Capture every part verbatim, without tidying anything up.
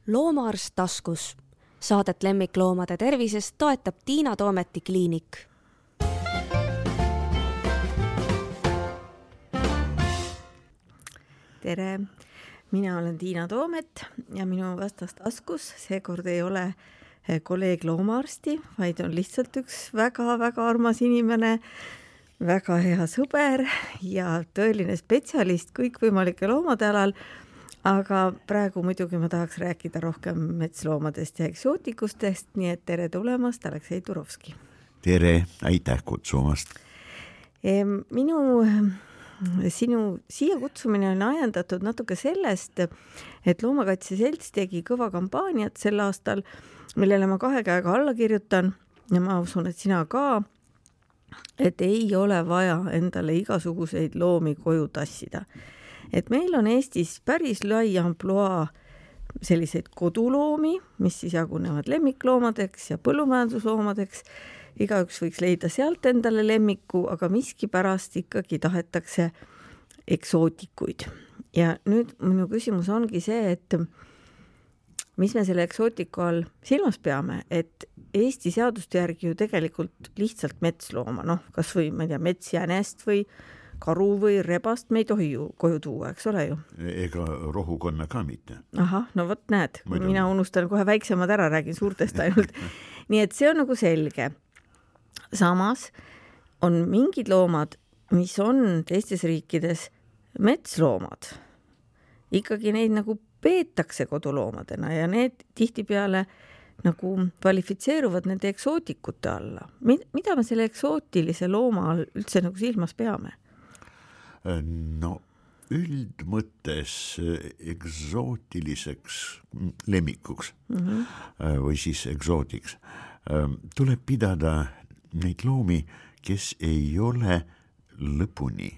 Loomaarst taskus. Saadet lemmikloomade tervisest toetab Tiina Toometi kliinik. Tere, mina olen Tiina Toomet ja minu vastas taskus seekord ei ole kolleeg loomaarsti, vaid on lihtsalt üks väga-väga armas inimene, väga hea sõber ja tõeline spetsialist kõikvõimalike loomade alal. Aga praegu muidugi ma tahaks rääkida rohkem metsloomadest ja eksootikustest, nii et tere tulemast, Aleksei Turovski. Tere, aitäh kutsumast. Minu, sinu siia kutsumine on ajendatud natuke sellest, et Loomakaitse Selts tegi kõva kampaaniat sel aastal, millele ma kahe käega alla kirjutan ja ma usun, et sina ka, et ei ole vaja endale igasuguseid loomi koju tassida. Et meil on Eestis päris lai ampluaa selliseid koduloomi, mis siis jagunevad lemmikloomadeks ja põllumajandusloomadeks. Igaüks võiks leida sealt endale lemmiku, aga miski pärast ikkagi tahetakse eksootikuid. Ja nüüd minu küsimus ongi see, et mis me selle eksootiku all silmas peame, et Eesti seaduste järgi ju tegelikult lihtsalt metslooma, noh, kas või, ma ei tea, metsjänest või karu või rebast me ei tohi ju koju tuua, eks ole ju? Ega rohukonna ka mitte. Aha, no vot näed, mina unustan kohe väiksemad ära, räägin suurtest ainult. Nii et see on nagu selge. Samas on mingid loomad, mis on teistes riikides metsloomad. Ikkagi neid nagu peetakse koduloomadena ja need tihtipeale nagu kvalifitseeruvad nende eksootikute alla. Mida me selle eksootilise looma all üldse nagu silmas peame? No üldmõttes eksootiliseks lemmikuks mm-hmm. või siis eksootiks tuleb pidada neid loomi, kes ei ole lõpuni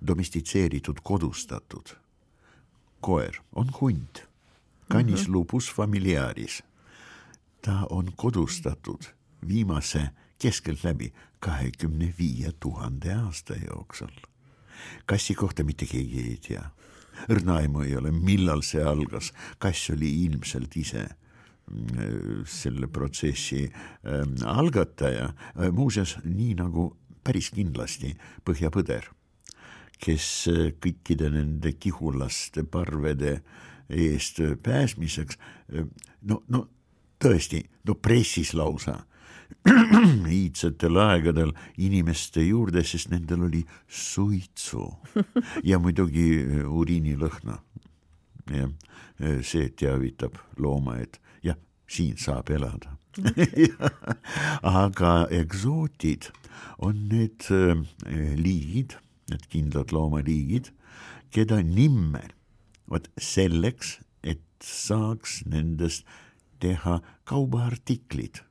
domestitseeritud, kodustatud. Koer on hunt, canis mm-hmm. lupus familiaris. Ta on kodustatud viimase keskelt läbi kahekümne viie tuhande aasta jooksul. Kassi kohta mitte keegi ei tea. Õrnaaimu ei ole, millal see algas. Kass oli ilmselt ise selle protsessi algataja. Muuseas, nii nagu päris kindlasti Põhjapõder, kes kõikide nende kihulaste parvede eest pääsmiseks, no, no tõesti, no pressis lausa iidsetel aegadel inimeste juurde, sest nendel oli suitsu ja muidugi uriinilõhna. Ja see teavitab looma, et jah, siin saab elada. Aga eksootid on need liigid, need kindlad loomaliigid, keda nimmel võt selleks, et saaks nendest teha kaubaartiklid.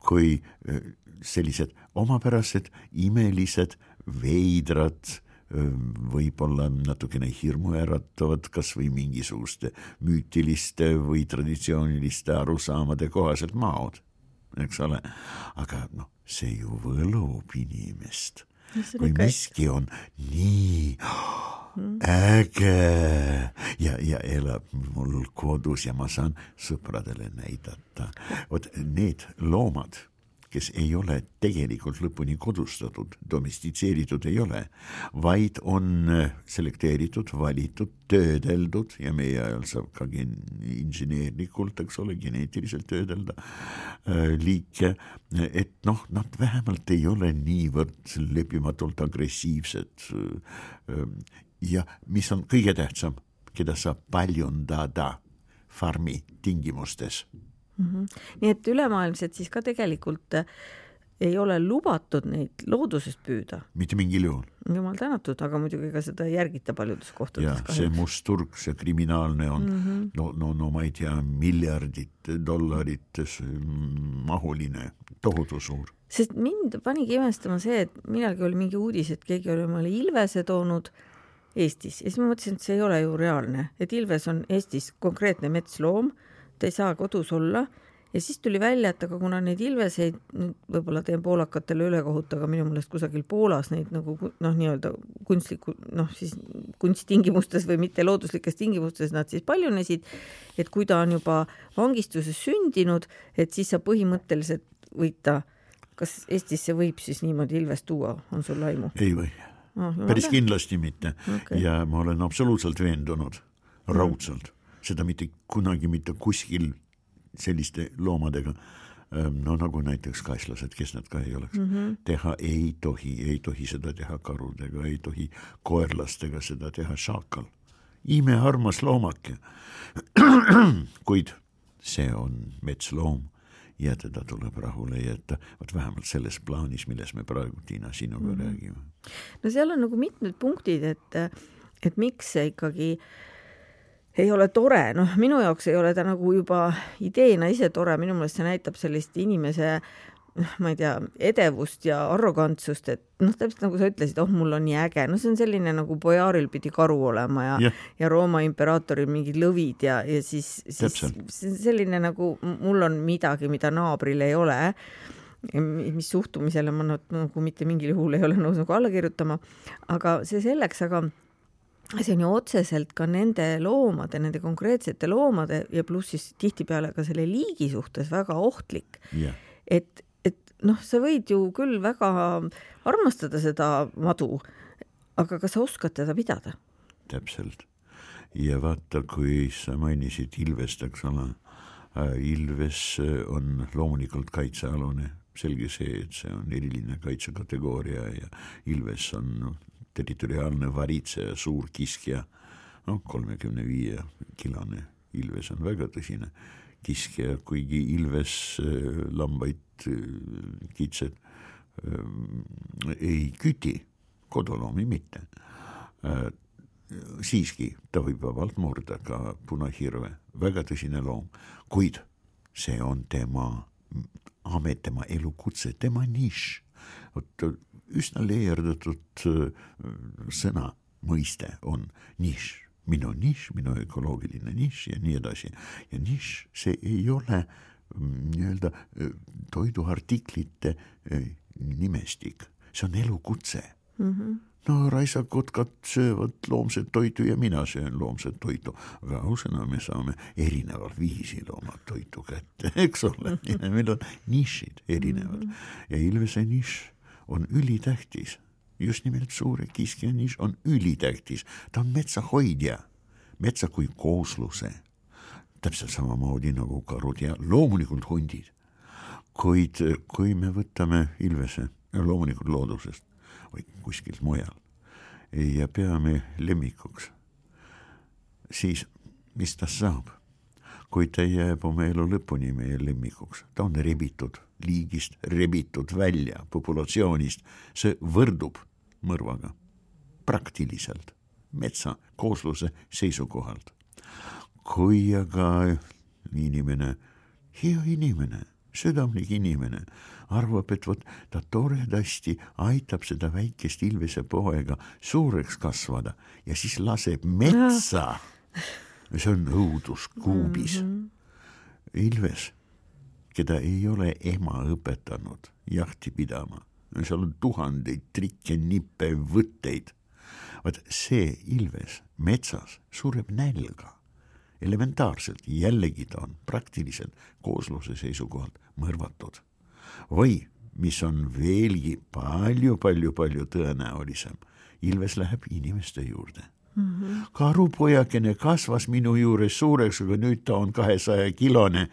Kui sellised omapärased, imelised, veidrad, võib-olla natukene hirmuäratavad, kas või mingisuguste müütiliste või traditsiooniliste arusaamade kohaselt maod, eks ole. Aga no, see ju võlub inimest. Kui miski on nii äge ja, ja elab mul kodus ja ma saan sõpradele näidata. Vot need loomad, kes ei ole tegelikult lõpuni kodustatud, domestitseeritud ei ole, vaid on selekteeritud, valitud, töödeldud ja meie ajal saab ka inžineerlikult, eks ole, geneetiliselt töödelda liike, et noh, nad vähemalt ei ole niivõrd lepimatult agressiivsed ja mis on kõige tähtsam, keda saab paljundada farmi tingimustes. Mm-hmm. Nii et ülemaailmselt siis ka tegelikult ei ole lubatud neid loodusest püüda. Mitte mingil juhul. Jumal tänatud, aga muidugi ka seda järgita paljudes kohtades. Ja kahjuks. See must turg, see kriminaalne on, mm-hmm. no, no, no ma ei tea, miljardit dollarit mahuline, tohutu suur. Sest mind panigi imestama see, et millalgi oli mingi uudis, et keegi oli omale ilvese toonud Eestis. Ja siis ma mõtlesin, et see ei ole ju reaalne. Et ilves on Eestis konkreetne metsloom, ta ei saa kodus olla ja siis tuli välja, et aga kuna neid ilveseid, võib-olla teen poolakatele ülekohut, aga minu meelest kusagil Poolas neid nagu noh, nii-öelda kunstliku, noh siis kunsttingimustes või mitte looduslikes tingimustes nad siis paljunesid, et kui ta on juba vangistuses sündinud, et siis sa põhimõtteliselt võid ta, kas Eestisse võib siis niimoodi ilvest tuua, on sul aimu? Ei või. Oh, päris kindlasti mitte okay. Ja ma olen absoluutselt veendunud raudselt, seda mitte kunagi mitte kuskil selliste loomadega, no nagu näiteks kaislased, kes nad ka ei oleks, mm-hmm. teha ei tohi, ei tohi seda teha karudega, ei tohi koerlastega seda teha šaakal. Ime armas loomake, kuid see on metsloom ja teda tuleb rahule jätta, võt vähemalt selles plaanis, milles me praegu, Tiina, sinuga mm. räägime. No seal on nagu mitmed punktid, et, et miks see ikkagi ei ole tore, noh minu jaoks ei ole ta nagu juba ideena ise tore, minu meelest see näitab sellist inimese, ma ei tea, edevust ja arrogantsust, et noh, täpselt nagu sa ütlesid, oh mul on nii äge, no see on selline nagu Bojaaril pidi karu olema ja, yeah. ja Rooma imperaatoril mingid lõvid ja, ja siis, siis selline nagu mul on midagi, mida naabril ei ole, mis suhtumisele ma nagu mitte mingil juhul ei ole nõus nagu alla kirjutama, aga see selleks, aga see on ju otseselt ka nende loomade, nende konkreetsete loomade ja pluss siis tihtipeale ka selle liigi suhtes väga ohtlik, yeah. et noh, sa võid ju küll väga armastada seda madu, aga kas sa oskad teda pidada? Täpselt. Ja vaata, kui sa mainisid ilvest, eks ole, ilves on loomulikult kaitsealune, selge see, et see on eriline kaitsekategooria ja ilves on territoriaalne varitseja, suur kiskja, no kolmekümne viie kilone ilves on väga tõsine kiskja, kuigi ilves lambaid kitsed ei küti, koduloomi mitte. Siiski ta võib vabalt murda ka punahirve, väga tõsine loom, kuid see on tema amet, tema elukutse, tema niš. Üsna leerdatud sõna mõiste on niš. Minu niš, minu ökoloogiline niš ja nii edasi. Ja niš, see ei ole nii-öelda toiduartiklite nimestik. See on elukutse. Mm-hmm. No raisakotkad söövad loomset toitu ja mina söön loomset toitu. Aga ausena me saame erineval viisi loomad toitu kätte, eks ole. Meil on nišid erinevad. Mm-hmm. Ja ilvese niš on ülitähtis. Just nimelt suure kiskja niš on ülitähtis. Ta on metsahoidja, metsa kui koosluse. Täpselt samamoodi nagu karud ja loomulikult hundid. Kuid kui me võtame ilvese loomulikult loodusest või kuskilt mujal ja peame lemmikuks, siis mis ta saab? Kui ta jääb oma elu lõpuni meie lemmikuks, ta on rebitud liigist, rebitud välja populatsioonist, see võrdub mõrvaga praktiliselt metsa koosluse seisukohalt. Kui aga inimene, hea inimene, südamlik inimene arvab, et võt, ta toredasti aitab seda väikest ilvese poega suureks kasvada ja siis laseb metsa. See on õudus kuubis. Ilves, keda ei ole ema õpetanud jahti pidama, seal on tuhandeid trikke, nippe, võtteid. Vaat see ilves metsas sureb nälga. Elementaarselt jällegi ta on praktiliselt koosluse seisukohalt mõrvatud. Või, mis on veelgi palju, palju, palju tõenäolisem, ilves läheb inimeste juurde. Mm-hmm. Karupojakene kasvas minu juures suureks, aga nüüd ta on kahesaja kilone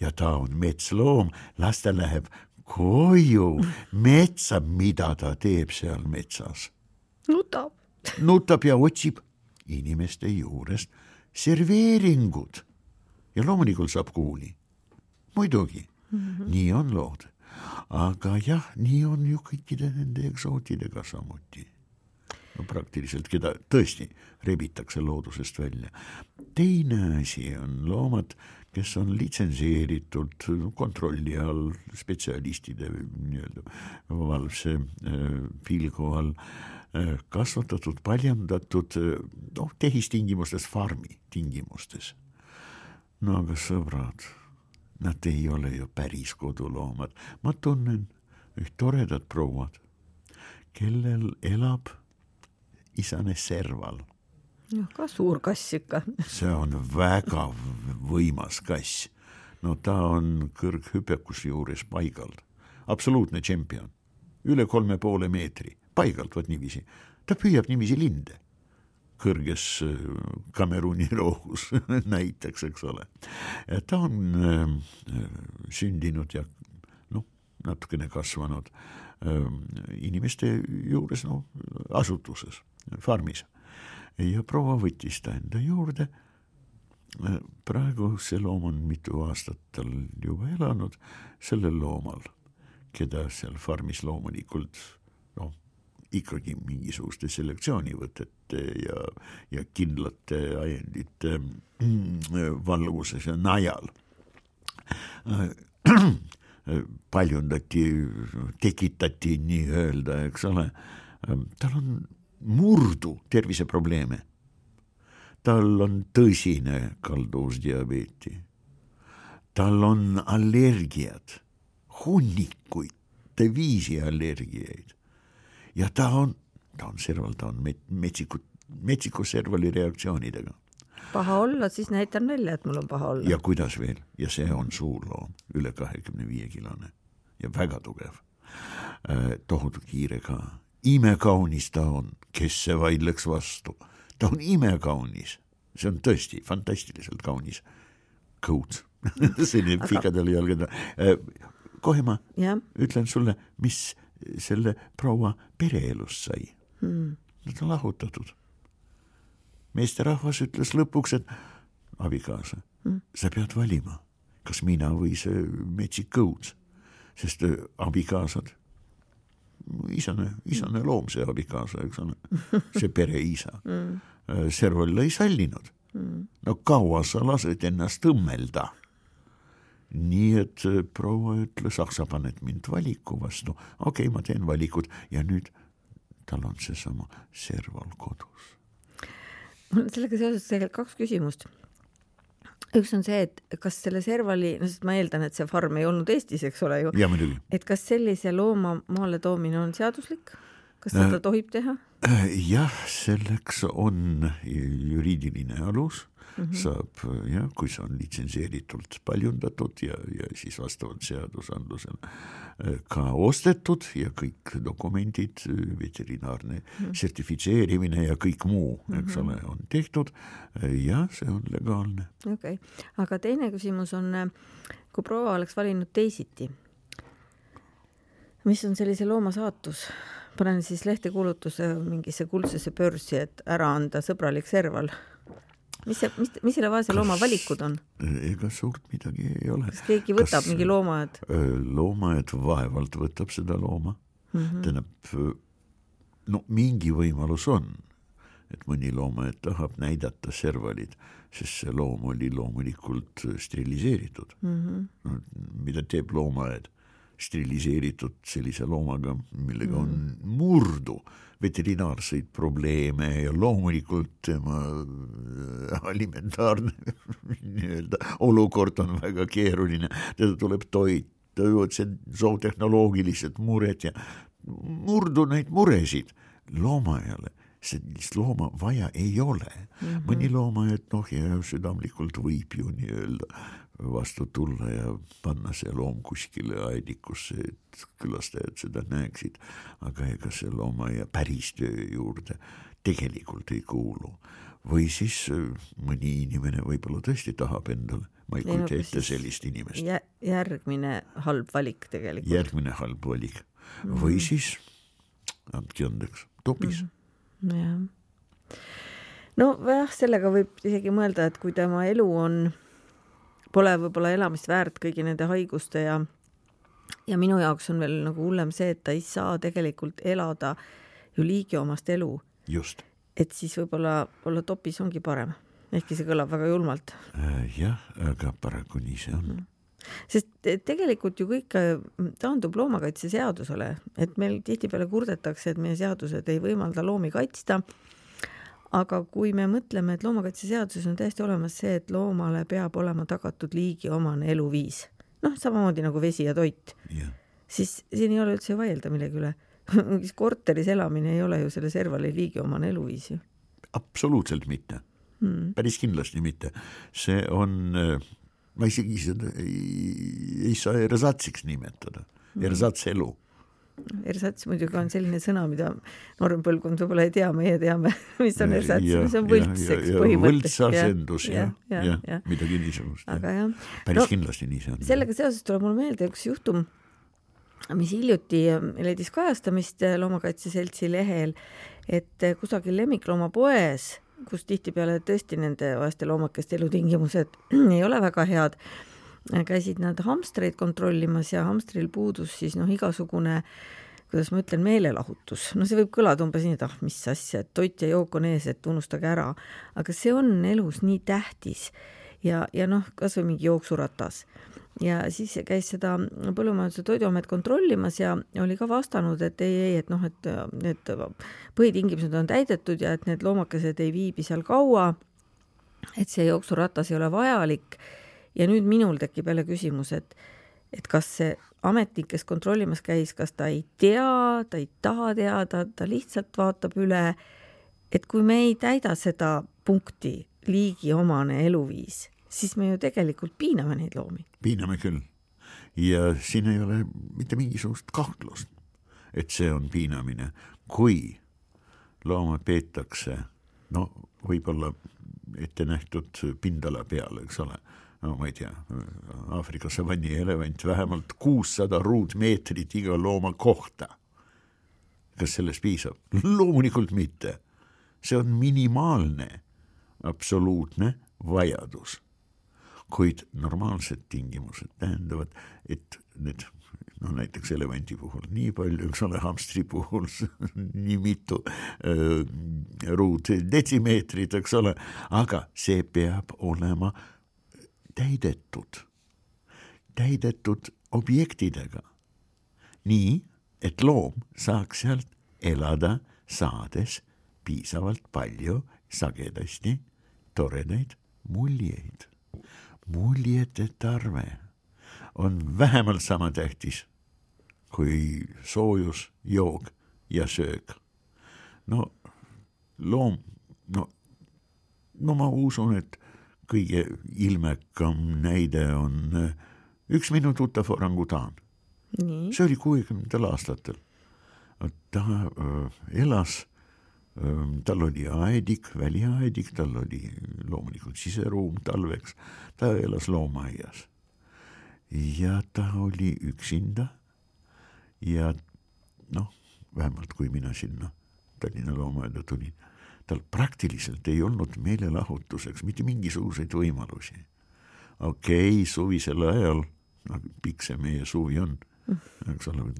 ja ta on metsloom, las ta läheb koju metsa, mida ta teeb seal metsas. Nutab. Nutab ja otsib inimeste juurest serveeringud ja loomulikult saab kuuli. Muidugi, mm-hmm. nii on lood. Aga jah, nii on ju kõikide nende eksootidega samuti. No praktiliselt, keda tõesti rebitakse loodusest välja. Teine asi on loomad, kes on litsenseeritud kontrolli all spetsialistide nii-öelda valvse pilgu all kasvatatud, paljandatud noh, tehistingimustes, farmi tingimustes. No aga sõbrad, nad ei ole ju päris koduloomad. Ma tunnen üht toredat prouad, kellel elab isane serval. No, ka suur kass ikka. See on väga võimas kass. No ta on kõrghüpekus juures paigalt. Absoluutne tšempion. Üle kolme poole meetri. Paigalt, võt niiviisi. Ta püüab niiviisi linde. Kõrges Kameruni rohus näiteks, eks ole. Ta on äh, sündinud ja no, natukene kasvanud äh, inimeste juures no, asutuses, farmis. Ja proua võttis ta enda juurde. Praegu see loom on mitu aastat tal juba elanud sellel loomal, keda seal farmis loomulikult no, ikkagi mingisuguste selektsioonivõtete ja, ja kindlate ajendite valguses ja najal paljundati, tekitati nii öelda, eks ole. Tal on murdu terviseprobleeme. Tal on tõsine kalduvusdiabeeti. Tal on allergiad, hunnikuid, viisi allergiaid. Ja ta on, ta on serval, ta on metsiku, metsiku servali reaktsioonidega. Paha olla, siis näitan välja, et mul on paha olla. Ja kuidas veel? Ja see on suur loom, üle kahekümne viie kilone ja väga tugev. Tohutu kiire ka. Imekaunis ta on, kes see vaidleks vastu. Ta on imekaunis. See on tõesti fantastiliselt kaunis. Kõud. Selline aga... pikadele jalgada. Kohe ma ja. Ütlen sulle, mis selle proua pereelust sai. Hmm. Nad on lahutatud. Meesterahvas ütles lõpuks, et abikaasa, hmm. sa pead valima, kas mina või see metsik kõud. Sest abikaasad isane, isane loom see abikaasa, eks ole, see pere isa. Mm. Serval ei sallinud. Mm. No kaua sa lased ennast õmmelda. Nii et proua ütles, ah, sa paned mind valiku vastu. Okei, ma teen valikud ja nüüd tal on see sama serval kodus. Sellega seoses tegelikult kaks küsimust. Üks on see, et kas selle servali, no sest ma eeldan, et see farm ei olnud Eestis, eks ole ju. Ja, muidugi. Et kas sellise looma maale toomine on seaduslik? Kas seda tohib teha? Jah, selleks on juriidiline alus. Mm-hmm. Saab, ja, kui see on litsenseeritult paljundatud ja, ja siis vastavalt seadusandlusele ka ostetud ja kõik dokumendid, veterinaarne mm-hmm. sertifitseerimine ja kõik muu, eks ole, on tehtud ja see on legaalne. Okei, okay. Aga teine küsimus on, kui proua oleks valinud teisiti, mis on sellise looma saatus? Panen siis lehtekuulutuse mingisse kuldsesse börsi, et ära anda sõbralik serval. Mis, see, mis, mis selle vaese looma valikud on? Ega suurt midagi ei ole. Kas keegi võtab Kas, mingi loomaed? Loomaed vaevalt võtab seda looma. Mm-hmm. Tähendab, no mingi võimalus on, et mõni loomaed tahab näidata servalid, sest see loom oli loomulikult steriliseeritud. Mm-hmm. No, mida teeb loomaed? Steriliseeritud sellise loomaga, millega on mm. murdu veterinaarseid probleeme ja loomulikult tema alimentaarne nii-öelda olukord on väga keeruline. Teda tuleb toita, see zootehnoloogilised mured ja murdu neid muresid loomajale. Sellist looma vaja ei ole. Mm-hmm. Mõni looma, et noh, ja südamlikult võib ju nii-öelda vastu tulla ja panna see loom kuskile aedikusse, et külastajad seda näeksid, aga ega see looma ja päris töö juurde tegelikult ei kuulu. Või siis mõni inimene võib-olla tõesti tahab endale, ma ei kujuta ette sellist inimest. Järgmine halb valik tegelikult. Järgmine halb valik. Mm. Või siis, andki andeks, topis. Mm. Ja. No jah, sellega võib isegi mõelda, et kui tema elu on pole võib-olla elamist väärt kõigi nende haiguste ja, ja minu jaoks on veel nagu hullem see, et ta ei saa tegelikult elada ju liigiomast elu. Just. Et siis võib-olla olla topis ongi parem. Ehkki see kõlab väga julmalt. Äh, jah, aga paraku nii see on. Sest tegelikult ju kõik taandub loomakaitse seadusele, et meil tihtipeale kurdetakse, et meie seadused ei võimalda loomi kaitsta. Aga kui me mõtleme, et loomakaitse seaduses on täiesti olemas see, et loomale peab olema tagatud liigi omane eluviis. noh, samamoodi nagu vesi ja toit, ja. siis siin ei ole üldse vaielda millegi üle. Mingis korteris elamine ei ole ju selle servali liigi omane eluviis ju. Absoluutselt mitte. Hmm. Päris kindlasti mitte. See on, ma isegi seda ei, ei saa ersatsiks nimetada. Hmm. Ersats elu. Ersats muidugi on selline sõna, mida noorem põlvkond võib-olla ei tea, meie teame, mis on ersats, mis on võltseks põhimõttest. Võltsasendus, jah, ja, ja, ja, midagi niisugust. Aga jah. Päris no, kindlasti nii see on. Sellega seoses tuleb mul meelde üks juhtum, mis hiljuti leidis kajastamist Loomakaitseseltsi lehel, et kusagil lemmiklooma poes, kus tihtipeale tõesti nende vaeste loomakeste elutingimused ei ole väga head, käisid nad hamstreid kontrollimas ja hamstril puudus siis noh igasugune, kuidas ma ütlen, meelelahutus. No see võib kõlada umbes nii, et ah, mis asja, et toit ja jook on ees, et unustage ära. Aga see on elus nii tähtis ja, ja noh, kas või mingi jooksuratas. Ja siis käis seda Põllumajanduse Toiduamet kontrollimas ja oli ka vastanud, et ei, ei, et noh, et need põhitingimused on täidetud ja et need loomakesed ei viibi seal kaua, et see jooksuratas ei ole vajalik. Ja nüüd minul tekib jälle küsimus, et, et kas see ametnik, kes kontrollimas käis, kas ta ei tea, ta ei taha teada, ta lihtsalt vaatab üle, et kui me ei täida seda punkti liigi omane eluviis, siis me ju tegelikult piiname neid loomi. Piiname küll. Ja siin ei ole mitte mingisugust kahtlust, et see on piinamine. Kui looma peetakse, no võib-olla ette nähtud pindala peale, eks ole, no ma ei tea, Aafrika savanni elevant vähemalt kuussada ruutmeetrit iga looma kohta. Kas sellest piisab? Loomulikult mitte. See on minimaalne, absoluutne vajadus. Kuid normaalsed tingimused tähendavad, et need, no näiteks elevanti puhul nii palju, eks ole, hamstri puhul nii mitu äh, ruut detsimeetrit, eks ole, aga see peab olema täidetud, täidetud objektidega. Nii, et loom saaks sealt elada saades piisavalt palju sagedasti toredaid muljeid. Muljete tarve on vähemalt sama tähtis kui soojus, joog ja söök. No loom, no, no ma usun, et kõige ilmekam näide on üks minu tuttav orangutaan. Nii. See oli kuuekümnendatel aastatel. Ta äh, elas, äh, tal oli aedik, väliaedik, tal oli loomulikult siseruum talveks, ta elas loomaaias. Ja ta oli üksinda ja noh, vähemalt kui mina sinna Tallinna loomaaeda tulin, tal praktiliselt ei olnud meelelahutuseks mitte mingisuguseid võimalusi. Okei, okay, suvisel ajal, no, pikk see meie suvi on, eks ole,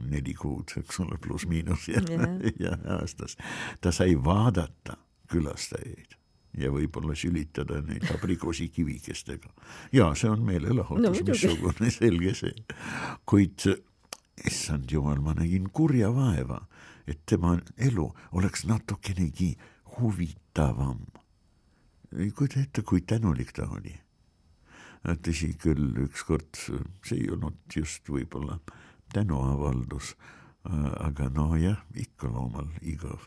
neli kuud, eks ole, pluss miinus ja, yeah. ja aastas. Ta sai vaadata külastajaid ja võib-olla sülitada neid abrikoosi kivikestega. Ja see on meelelahutus, no, missugune selge see. Kuid, issand jumal, ma nägin kurja vaeva, et tema elu oleks natukenegi huvitavam. Kuida ette, kui tänulik ta oli. Tõsi küll ükskord, see ei olnud just võib-olla tänuavaldus, aga no jah, ikka loomal igav.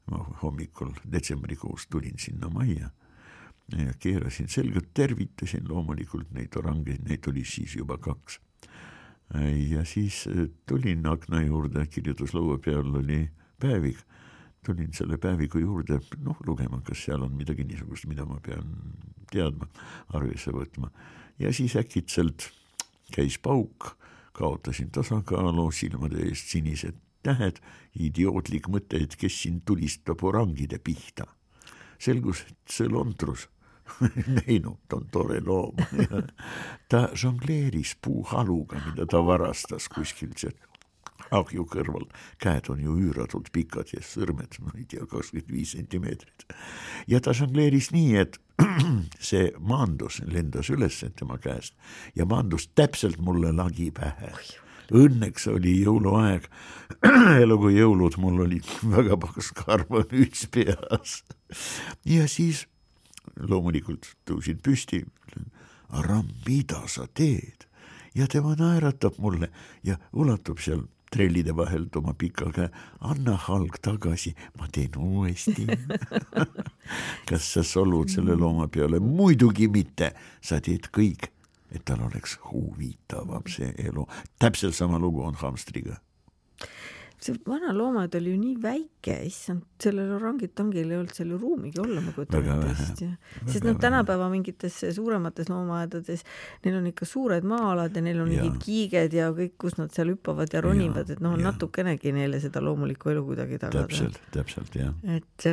Ma hommikul detsembrikuus tulin sinna majja ja keerasin selgelt, tervitasin loomulikult neid orangeid, neid oli siis juba kaks. Ja siis tulin akna juurde, kirjutuslaua peal oli päevik. Tulin selle päeviku juurde, noh, lugema, kas seal on midagi niisugust, mida ma pean teadma, arvesse võtma. Ja siis äkitselt käis pauk, kaotasin tasakaalu, silmade eest sinised tähed, idiootlik mõte, et kes siin tulistab orangide pihta. Selgus, et see lontrus, neinu, ta on tore loom. Ta žongleeris puuhaluga, mida ta varastas kuskilt sealt. Ahju kõrval, käed on ju üüratult pikad ja sõrmed, ma ei tea, kakskümmend viis sentimeetrit. Ja ta žongleeris nii, et see maandus, lendas üles tema käest ja maandus täpselt mulle lagi pähe. Õnneks oli jõuluaeg, elu kui jõulud, mul oli väga paks karvanüüts peas. Ja siis loomulikult tõusin püsti, Aram, mida sa teed? ja tema naeratab mulle ja ulatub seal trellide vahelt oma pika käe, anna halg tagasi, ma teen uuesti. Kas sa solvud selle looma peale? Muidugi mitte, sa teed kõik, et tal oleks huvitavam see elu. Täpselt sama lugu on hamstriga. See vana loomad oli ju nii väike, issand, sellel orangitangil ei olnud selle ruumigi olla, ma kujutan ette. Sest noh, tänapäeva mingites suuremates loomaaedades, neil on ikka suured maa-alad ja neil on mingid kiiged ja kõik, kus nad seal hüppavad ja ronivad, et noh, on natukenegi neile seda loomulikku elu kuidagi tagada. Täpselt, täpselt, jah. Et,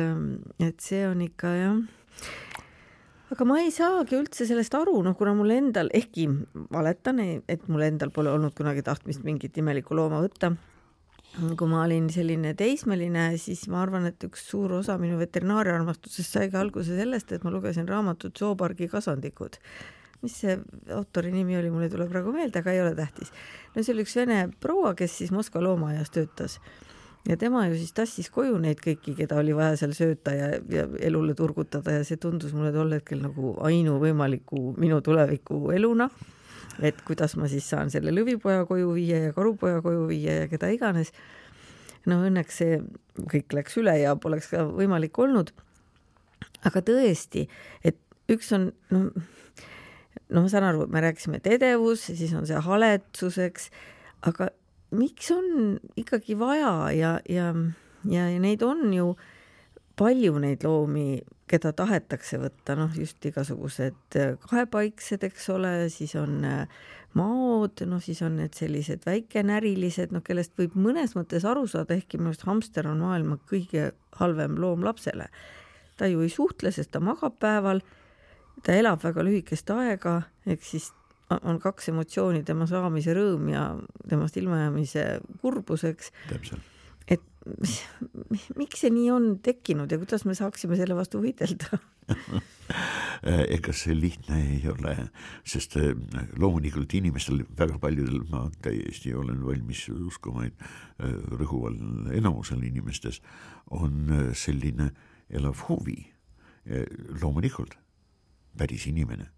et see on ikka, jah. Aga ma ei saagi üldse sellest aru, noh, kuna mul endal, ehkki valetan, et mul endal pole olnud kunagi tahtmist mingit imelikku looma võtta. Kui ma olin selline teismeline, siis ma arvan, et üks suur osa minu veterinaariaarmastusest saigi alguse sellest, et ma lugesin raamatut Zoopargi kasandikud. Mis see autori nimi oli, mulle tuleb praegu meelde, aga ei ole tähtis. No see oli üks vene proua, kes siis Moskva loomaajas töötas. Ja tema ju siis tassis koju neid kõiki, keda oli vaja seal sööta ja, ja elule turgutada ja see tundus mulle tol hetkel nagu ainu võimaliku minu tuleviku eluna. Et kuidas ma siis saan selle lõvipoja koju viia ja karupoja koju viia ja keda iganes. No õnneks see kõik läks üle ja poleks ka võimalik olnud. Aga tõesti, et üks on, no, no ma saan aru, me rääkisime edevus, siis on see haletsuseks, aga miks on ikkagi vaja ja, ja, ja, ja neid on ju palju neid loomi, keda tahetakse võtta, noh just igasugused kahepaiksed, eks ole, siis on maod, noh siis on need sellised väikenärilised, noh kellest võib mõnes mõttes aru saada, ehkki minu arust hamster on maailma kõige halvem loom lapsele. Ta ju ei suhtle, sest ta magab päeval, ta elab väga lühikest aega, ehk siis on kaks emotsiooni, tema saamise rõõm ja temast ilmajäämise kurbuseks. Täpselt. Et miks see nii on tekkinud ja kuidas me saaksime selle vastu võidelda? Ega see lihtne ei ole, sest loomulikult inimestel, väga paljudel, ma täiesti olen valmis uskuma, et rõhuval enamusel inimestes on selline elav huvi. Loomulikult päris inimene,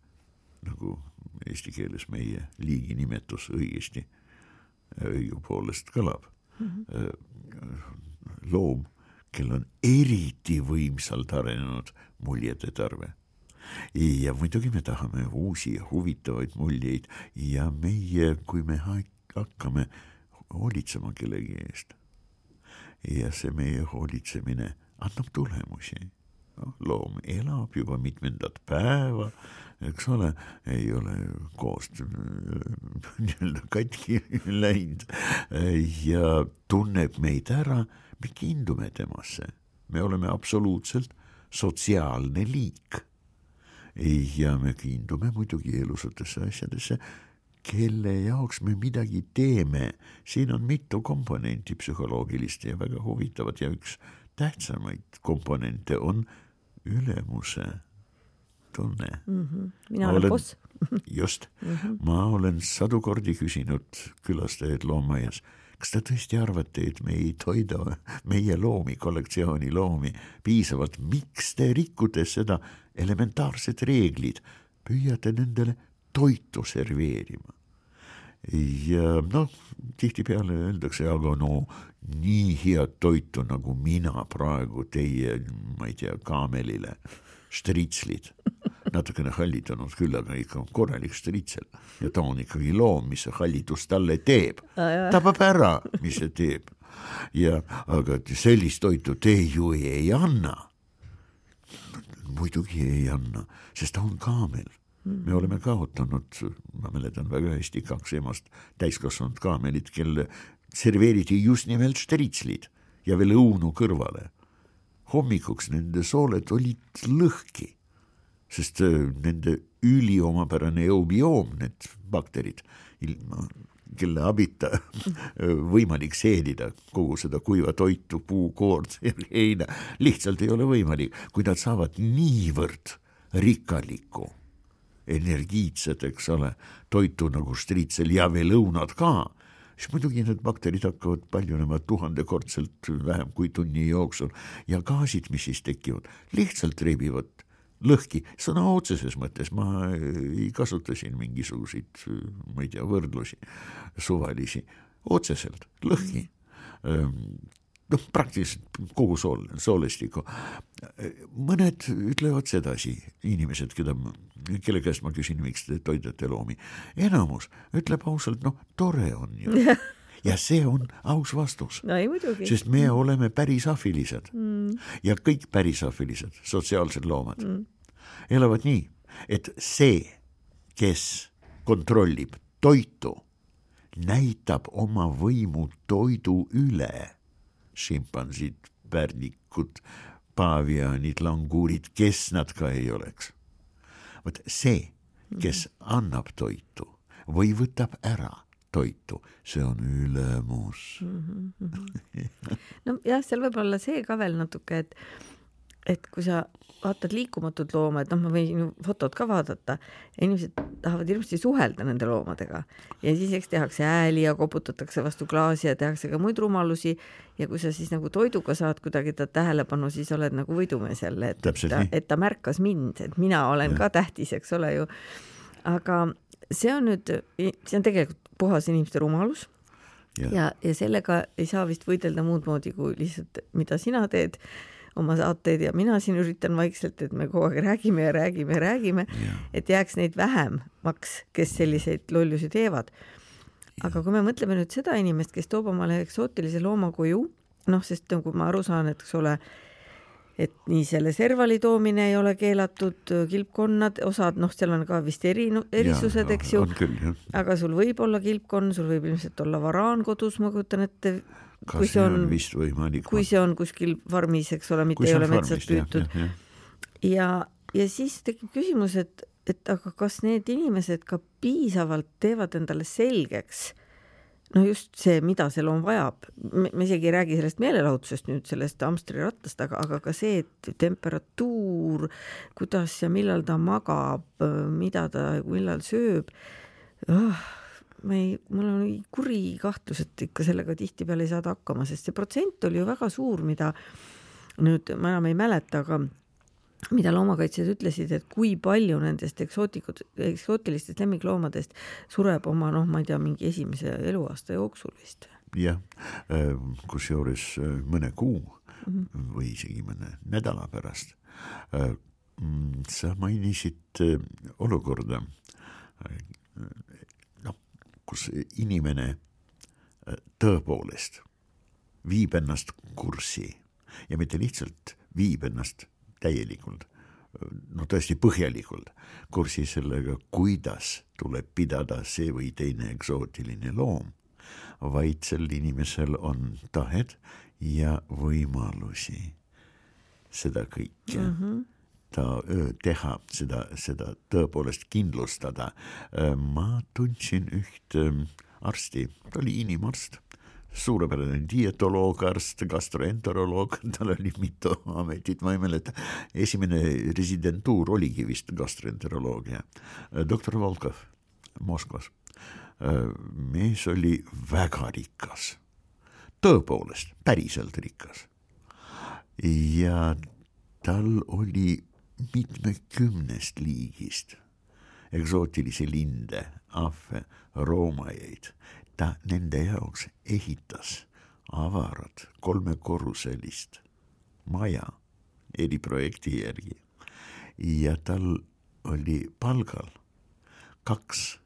nagu eesti keeles meie liigi nimetus õigesti õigupoolest kõlab. Mm-hmm. Loom, kel on eriti võimsalt arenenud muljede tarve. Ja muidugi me tahame uusi huvitavaid muljeid ja meie, kui me hakkame hoolitsema kellegi eest. Ja see meie hoolitsemine annab tulemusi. Loom elab juba mitmendat päeva, eks ole, ei ole koost katki läinud ja tunneb meid ära, me kindume temasse. Me oleme absoluutselt sotsiaalne liik ja me kindume muidugi elusatesse asjadesse, kelle jaoks me midagi teeme. Siin on mitu komponenti psühholoogilist ja väga huvitavat ja üks tähtsamaid komponente on ülemuse tunne. Mm-hmm. Mina olen boss. Just. Mm-hmm. Ma olen sadu kordi küsinud külastajaid loomaaias, kas te tõesti arvate, et me ei toida meie loomi, kollektsiooni loomi piisavalt? Miks te rikkute seda elementaarset reeglid? Püüate nendele toitu serveerima. Ja noh, tihti peale öeldakse, aga no nii head toitu nagu mina praegu teie, ma ei tea, kaamelile, štritslid. Natukene hallitanud küll, aga ikka korralik štritsel. Ja ta on ikkagi loom, mis see hallitus talle teeb. Tabab ära, mis see teeb. Ja, aga sellist toitu te ju ei anna. Muidugi ei anna, sest ta on kaamel. Me oleme kaotanud, ma mäletan väga hästi, kaks emast täiskasvanud kaamelit, kelle serveeriti just nimelt štritslid ja veel õunu kõrvale. Hommikuks nende sooled olid lõhki, sest nende üliomapärane eubioom, need bakterid, ilma, kelle abita võimalik seedida kogu seda kuiva toitu, puu, koord, heina, lihtsalt ei ole võimalik, kui nad saavad niivõrd rikkalikku energiitsed, eks ole, toitu nagu štritsel ja veel õunad ka, siis muidugi need bakterid hakkavad paljunema tuhandekordselt vähem kui tunni jooksul ja gaasid, mis siis tekivad, lihtsalt rebivad lõhki, sõna otseses mõttes, ma ei kasuta siin mingisuguseid, ma ei tea, võrdlusi, suvalisi, otseselt, lõhki. Noh, praktiliselt kogu sool, soolestiku. Mõned ütlevad sedasi, inimesed, keda, kelle käest ma küsin, miks te toidate loomi. Enamus ütleb ausalt, noh, tore on ju. Ja see on aus vastus, no, ei, muidugi. Sest me oleme pärisafilised mm. ja kõik pärisafilised sotsiaalsed loomad mm. elavad nii, et see, kes kontrollib toitu, näitab oma võimu toidu üle. Šimpansid, pärnikud, paavianid, languurid, kes nad ka ei oleks. Võt see, kes mm. annab toitu või võtab ära toitu, see on ülemus. Mm-hmm. No jah, seal võib olla see ka veel natuke, et, et kui sa vaatad liikumatut looma, et noh, ma võin fotod ka vaadata, inimesed tahavad hirmasti suhelda nende loomadega ja siis eks tehakse ääli ja koputatakse vastu klaasi ja tehakse ka muid rumalusi ja kui sa siis nagu toiduga saad kuidagi ta tähelepanu, siis oled nagu võidumees jälle, et, et, ta, et ta märkas mind, et mina olen ja. Ka tähtis, eks ole ju. Aga see on nüüd, see on tegelikult puhas inimeste rumalus ja. Ja, ja sellega ei saa vist võidelda muud moodi kui lihtsalt, mida sina teed, oma saateid ja mina siin üritan vaikselt, et me kogu aeg räägime ja räägime ja räägime, ja. Et jääks neid vähemaks, kes selliseid lollusi teevad. Aga kui me mõtleme nüüd seda inimest, kes toob omale eksootilise looma koju, noh, sest nagu ma aru saan, et eks ole, et nii selle servali toomine ei ole keelatud, kilpkonnad, osad, noh, seal on ka vist eri, erisused, eks ju, küll, aga sul võib olla kilpkonn, sul võib ilmselt olla varaan kodus, ma kujutan ette, kui see on, vist võimalik, kui see on kuskil farmis, eks ole, mitte ei ole metsas püütud. Ja, ja. Ja, ja siis tekib küsimus, et, et aga kas need inimesed ka piisavalt teevad endale selgeks, no just see, mida see loom vajab. Me, me isegi ei räägi sellest meelelahutusest nüüd, sellest hamstrirattast, aga, aga ka see, et temperatuur, kuidas ja millal ta magab, mida ta, millal sööb. Oh, ma ei, mul on kuri kahtlus, et ikka sellega tihtipeale ei saada hakkama, sest see protsent oli ju väga suur, mida nüüd ma enam ei mäleta, aga mida loomakaitsjad ütlesid, et kui palju nendest eksootilistest lemmikloomadest sureb oma, noh, ma ei tea, mingi esimese eluaasta jooksul vist. Jah, kus juures mõne kuu mm-hmm. või isegi mõne nädala pärast. Sa mainisid olukorda, noh, kus inimene tõepoolest viib ennast kurssi ja mitte lihtsalt viib ennast täielikult, no tõesti põhjalikult kursi sellega, kuidas tuleb pidada see või teine eksootiline loom, vaid sel inimesel on tahet ja võimalusi seda kõike mm-hmm. ta teha, seda, seda tõepoolest kindlustada. Ma tundsin üht arsti, ta oli inimarst, suurepärane dietoloog, arst, gastroenteroloog, tal oli mitu ametit, ma ei mäleta. Esimene residentuur oligi vist gastroenteroloogia. Doktor Volkov Moskvas. Mees oli väga rikas. Tõepoolest, päriselt rikas. Ja tal oli mitmekümnest liigist eksootilisi linde, ahve, roomajeid. Ta nende jaoks ehitas avarat kolmekorruselist maja eriprojekti järgi ja tal oli palgal kaks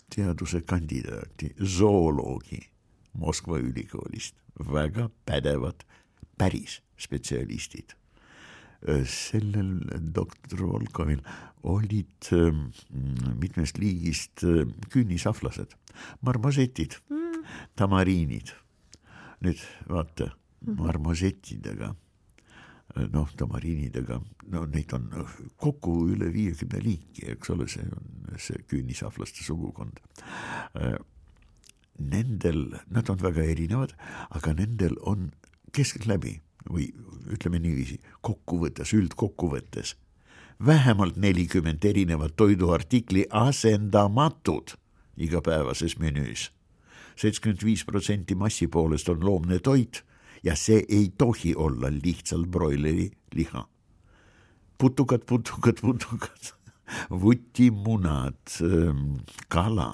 teaduse kandidaati, zooloogi Moskva ülikoolist, väga pädevad päris spetsialistid. Sellel doktor Volkovil olid mitmest liigist künnisaflased, marmosetid, mm. tamariinid. Nüüd vaata, marmosetidega, noh, tamariinidega, no neid on kokku üle viiekümne liiki, eks ole, see on see künnisaflaste sugukond. Nendel, nad on väga erinevad, aga nendel on keskeltläbi või ütleme niiviisi, kokkuvõttes, üldkokkuvõttes, vähemalt nelikümmend erinevat toiduartikli asendamatud igapäevases menüüs. seitsekümmend viis protsenti massi poolest on loomne toit ja see ei tohi olla lihtsalt broileri liha. putukad, putukad, putukad, vutimunad, kala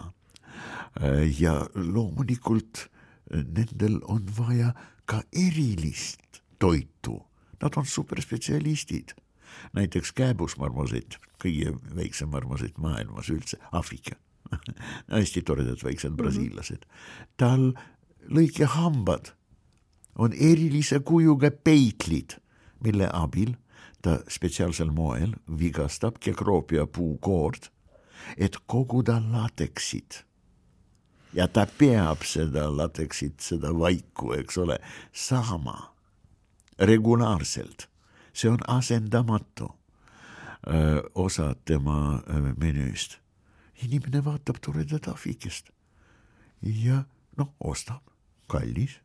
ja loomulikult nendel on vaja ka erilist toitu. Nad on superspetsialistid. Näiteks kääbusmarmosett, kõige väiksem marmosett maailmas üldse, Afrika. Hästi toredad väiksed brasiillased. Tal lõikehambad on erilise kujuga peitlid, mille abil ta spetsiaalsel moel vigastab kekroopia puukoord, et koguda lateksid. Ja ta peab seda lateksid, seda vaiku, eks ole, saama regulaarselt. See on asendamatu öö, osa tema öö, menüüst. Inimene vaatab toredat ahvikest ja noh, ostab, kallis,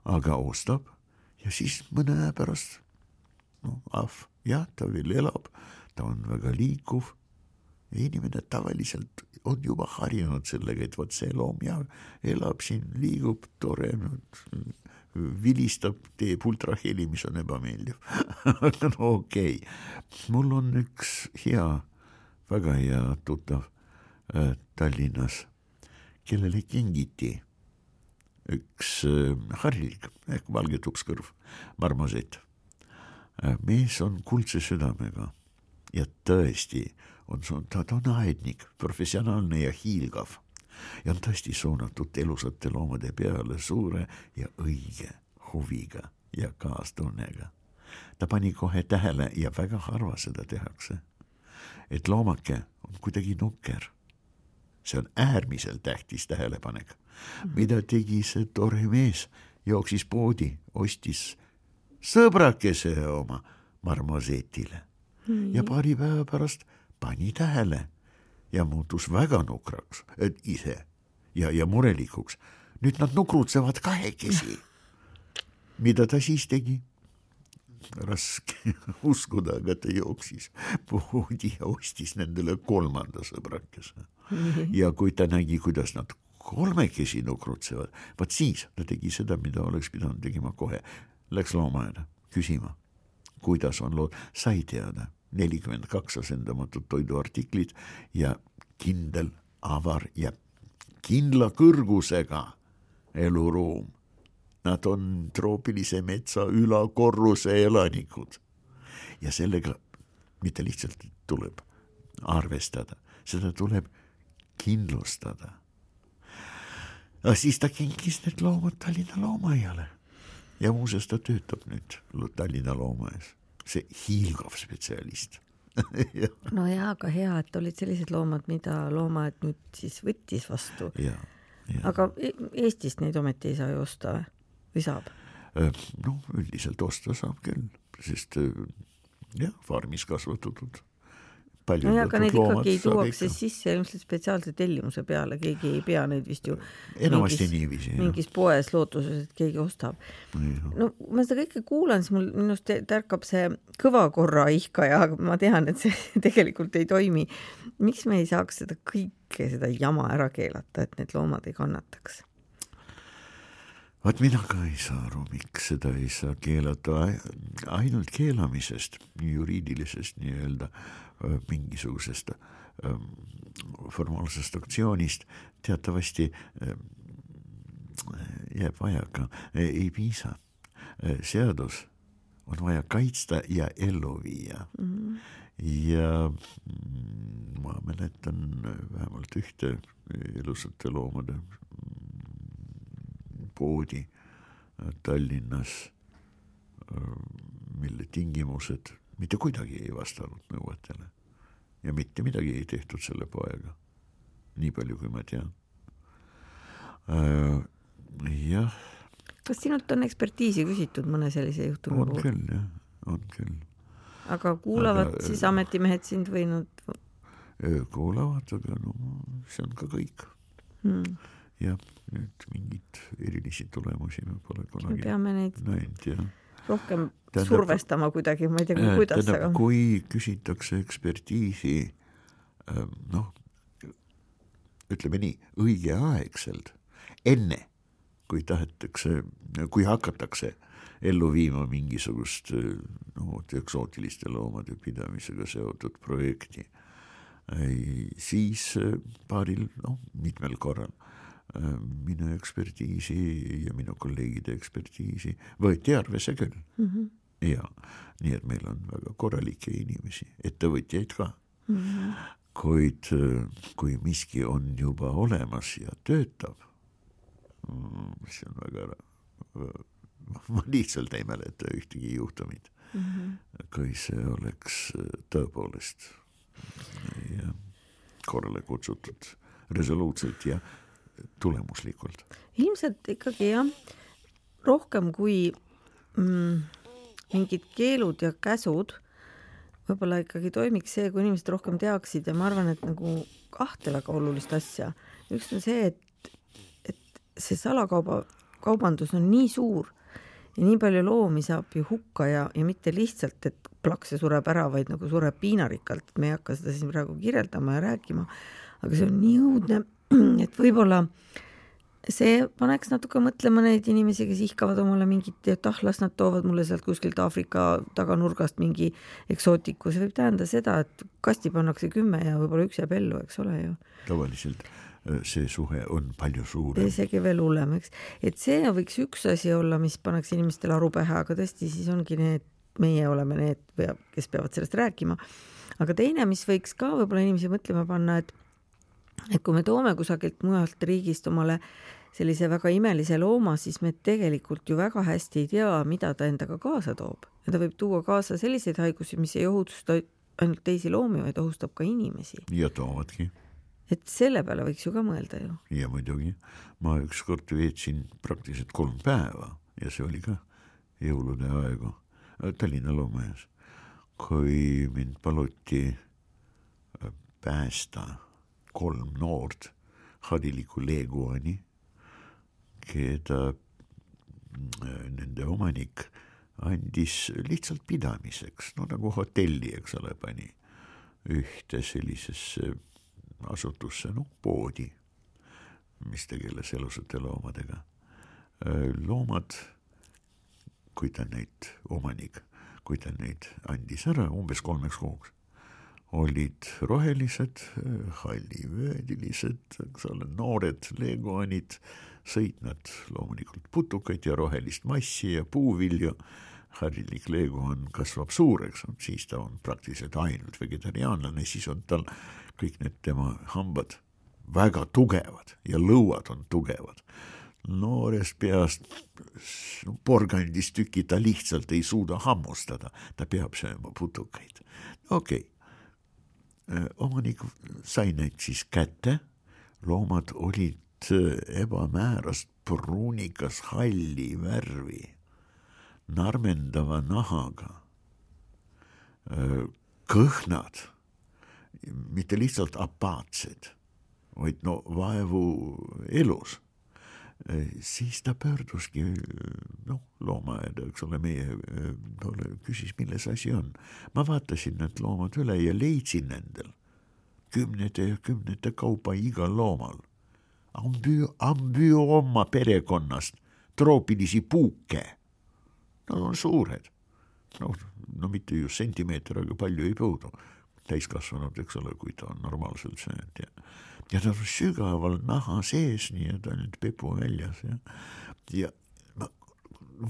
aga ostab ja siis mõne aja pärast no, ahv, jah, ta veel elab, ta on väga liikuv ja inimene tavaliselt on juba harjunud sellega, et võt see loom ja elab siin, liigub, tore, vilistab, teeb ultraheli, mis on ebameeldiv. no okei, okay. Mul on üks hea, väga hea tuttav äh, Tallinnas, kellele kingiti üks äh, harilik ehk valge tupskõrv marmosett. Äh, mees on kuldse südamega ja tõesti on, ta, ta on aednik, professionaalne ja hiilgav. Ja on tõesti suunatud elusate loomade peale suure ja õige huviga ja kaastunnega. Ta pani kohe tähele ja väga harva seda tehakse, et loomake on kuidagi nukker. See on äärmiselt tähtis tähelepanek. Mida tegi see tore mees? Jooksis poodi, ostis sõbrakese oma marmosetile ja paari päeva pärast pani tähele ja muutus väga nukraks, et ise ja, ja murelikuks. Nüüd nad nukrutsevad kahekesi. Mida ta siis tegi? Raske uskuda, aga ta jooksis poodi ja ostis nendele kolmanda sõbrakese. Ja kui ta nägi, kuidas nad kolmekesi nukrutsevad, vaat siis ta tegi seda, mida oleks pidanud tegema kohe. Läks loomaaeda küsima, kuidas on lood, sai teada. nelikümmend kaks asendamatut toiduartiklit ja kindel, avar ja kindla kõrgusega eluruum. Nad on troopilise metsa ülakorruse elanikud. Ja sellega mitte lihtsalt tuleb arvestada, seda tuleb kindlustada. Ja siis ta kinkis need loomad Tallinna loomaiale ja muuseas ta töötab nüüd Tallinna loomaes. See hiilgav spetsialist. no jaa, aga hea, et olid sellised loomad, mida loomaaed nüüd siis võttis vastu. Ja, ja. Aga Eestist neid ometi ei saa ju osta või saab? No üldiselt osta saab küll, sest jah, farmis kasvatatud. No ja, aga neid ikkagi ei tuuakse sisse ilmselt spetsiaalse tellimuse peale, keegi ei pea neid vist ju enamasti mingis, niiviisi, mingis poes lootuses, et keegi ostab. Ja. No ma seda kõike kuulan, siis mul minust tärkab see kõvakorra ihkaja, aga ma tean, et see tegelikult ei toimi. Miks me ei saaks seda kõike, seda jama ära keelata, et need loomad ei kannataks? Vaat mina ka ei saa aru, miks seda ei saa keelata ainult keelamisest, juriidilisest nii-öelda mingisugusest formaalsest aktsioonist teatavasti jääb vajaka, ei piisa. Seadus on vaja kaitsta ja ellu viia. Mm-hmm. Ja ma mäletan vähemalt ühte elusate loomade poodi Tallinnas, mille tingimused mitte kuidagi ei vastanud nõuetele ja mitte midagi ei tehtud selle poega, nii palju kui ma tean. Äh, jah. Kas sinult on ekspertiisi küsitud mõne sellise juhtumi on puhul? Küll, jah, on küll. Aga kuulavad aga, siis ametimehed sind võinud? Kuulavad, aga no, see on ka kõik. Hmm. Ja nüüd mingid erilisi tulemusi me pole kunagi peame neid näinud, jah. Rohkem tähendab, survestama kuidagi, ma ei tea, kuidas tähendab, aga... kui küsitakse ekspertiisi, noh, ütleme nii, õigeaegselt, enne kui tahetakse, kui hakatakse ellu viima mingisugust no, eksootiliste loomade pidamisega seotud projekti. Siis paaril, no, mitmel korral minu ekspertiisi ja minu kolleegide ekspertiisi võeti arvesse küll. Mm-hmm. Ja, nii et meil on väga korralikke inimesi, ettevõtjaid ka. Mm-hmm. Kuid kui miski on juba olemas ja töötab, see on väga ma lihtsalt ei mäleta ühtegi juhtumit, mm-hmm. kui see oleks tõepoolest ja korrale kutsutud resoluutselt ja tulemuslikult. Ilmselt ikkagi jah, rohkem kui mm, mingid keelud ja käsud, võib-olla ikkagi toimiks see, kui inimesed rohkem teaksid ja ma arvan, et nagu kahte väga olulist asja. Üks on see, et, et see salakauba kaubandus on nii suur ja nii palju loomi saab ju hukka ja, ja mitte lihtsalt, et plakse sureb ära, vaid nagu sureb piinarikkalt. Me ei hakka seda siin praegu kirjeldama ja rääkima, aga see on nii õudne, et võib-olla see paneks natuke mõtlema neid inimesi, kes ihkavad omale mingit, et ah, las nad toovad mulle sealt kuskilt Aafrika taganurgast mingi eksootiku. See võib tähenda seda, et kasti pannakse kümme ja võib-olla üks jääb ellu, eks ole ju. Tavaliselt see suhe on palju suurem. Isegi veel hullem, eks. Et see võiks üks asi olla, mis paneks inimestele aru pähe, aga tõesti siis ongi need, meie oleme need, kes peavad sellest rääkima. Aga teine, mis võiks ka võib-olla inimesi mõtlema panna, et et kui me toome kusagilt mujalt riigist omale sellise väga imelise looma, siis me tegelikult ju väga hästi ei tea, mida ta endaga kaasa toob. Ja ta võib tuua kaasa selliseid haigusi, mis ei ohutusta ainult teisi loomi, vaid ohustab ka inimesi. Ja toovadki. Et selle peale võiks ju ka mõelda ju. Ja muidugi. Ma ükskord veetsin praktiliselt kolm päeva ja see oli ka jõulude aegu Tallinna loomajas, kui mind paluti päästa kolm noort hariliku leeguani, keda nende omanik andis lihtsalt pidamiseks, no nagu hotelli, eks ole, pani ühte sellisesse asutusse, no poodi, mis tegeles elusate loomadega. Loomad, kui ta neid omanik, kui ta neid andis ära umbes kolmeks kuuks, olid rohelised, hallivöödilised, eks ole, noored leeguanid, sõitnud loomulikult putukaid ja rohelist massi ja puuvilju. Harilik leeguan kasvab suureks, siis ta on praktiliselt ainult vegetariaanlane, siis on tal kõik need tema hambad väga tugevad ja lõuad on tugevad. Noorest peast porgandist tüki ta lihtsalt ei suuda hammustada, ta peab sööma putukaid. Okei. Okay. Omanik sai neid siis kätte, loomad olid ebamäärast pruunikas halli värvi, narmendava nahaga, kõhnad, mitte lihtsalt apaatsed, vaid no vaevu elus. Siis ta pöörduski no, loomaeda, eks ole, meie ole, küsis, milles asi on. Ma vaatasin need loomad üle ja leidsin nendel kümnete ja kümnete kaupa igal loomal. Ambyoma perekonnast troopilisi puuke. Nad on suured. No, no mitte just sentimeeter, aga palju ei puudu. Täiskasvanud, eks ole, kui ta on normaalselt söönud ja ja ta on sügaval naha sees, nii et ainult pepu väljas. Ja, ja ma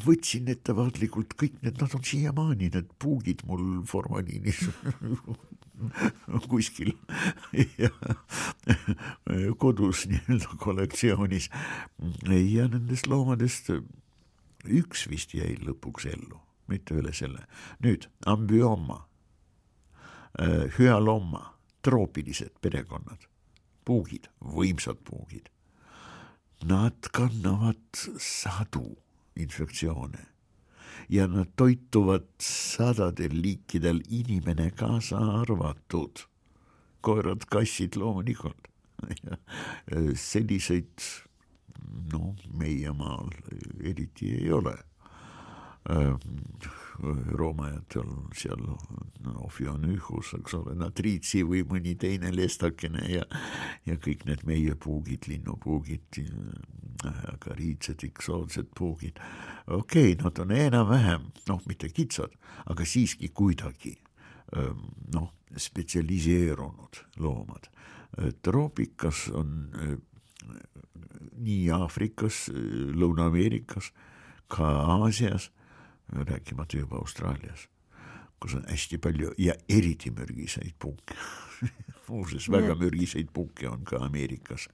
võtsin ettevaatlikult kõik need, nad on siiamaani, need puugid mul formaliinis kuskil ja kodus nii-öelda kollektsioonis. Ja nendest loomadest üks vist jäi lõpuks ellu, mitte üle selle. Nüüd, ambyoma, hyalomma, troopilised perekonnad. Puugid, võimsad puugid. Nad kannavad sadu infektsioone ja nad toituvad sadadel liikidel, inimene kaasa arvatud. Koerad, kassid loomulikult. Selliseid no, meie maal eriti ei ole. roomajatel seal Ophionychus, eks ole, natriitsi või mõni teine lestakene ja, ja kõik need meie puugid, linnupuugid, agariitsed, eksootsed puugid. Okei, okay, nad on enam-vähem, noh, mitte kitsad, aga siiski kuidagi noh, spetsialiseerunud loomad. Troopikas on nii Aafrikas, Lõuna-Ameerikas, ka Aasias, rääkimata juba Austraalias, kus on hästi palju ja eriti mürgiseid puuke. Muuses väga mürgiseid puuke on ka Ameerikas.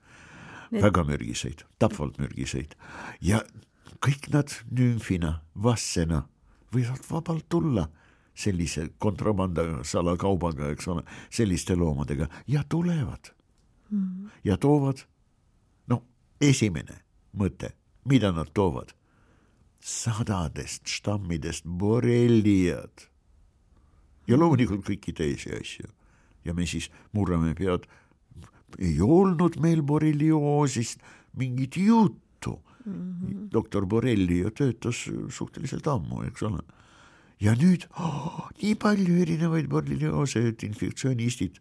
Need... Väga mürgiseid, tapvalt mürgiseid. Ja kõik nad nümfina, vassena võivad vabalt tulla sellise kontrabanda salakaubaga, eks ole, selliste loomadega ja tulevad mm. ja toovad, no esimene mõte, mida nad toovad? Sadadest stammidest borreliad ja loomulikult kõiki teisi asju. Ja me siis murrame pead, ei olnud meil borrelioosist mingit juttu. Mm-hmm. Doktor Borrelli töötas suhteliselt ammu, eks ole. Ja nüüd oh, nii palju erinevaid borrelioose, et infektsionistid,